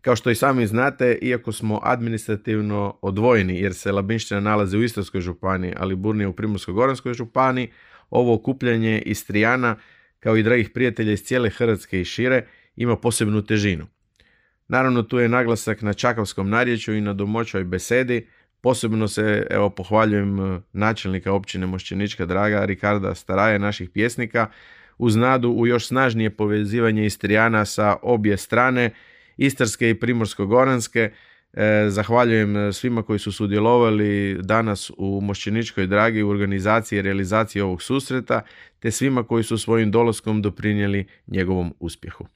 Kao što i sami znate, iako smo administrativno odvojeni jer se Labinština nalazi u Istarskoj županiji, a Liburnija u Primorsko-goranskoj županiji, ovo okupljanje Istrijana, kao i dragih prijatelja iz cijele Hrvatske i šire, ima posebnu težinu. Naravno, tu je naglasak na čakavskom narječju i na domaćoj besedi. Posebno se pohvaljujem načelnika općine Mošćenička Draga, Rikarda Staraja, naših pjesnika, uz nadu u još snažnije povezivanje Istrijana sa obje strane, Istarske i Primorsko-goranske. Zahvaljujem svima koji su sudjelovali danas u Mošćeničkoj Dragi u organizaciji i realizaciji ovog susreta, te svima koji su svojim dolaskom doprinijeli njegovom uspjehu.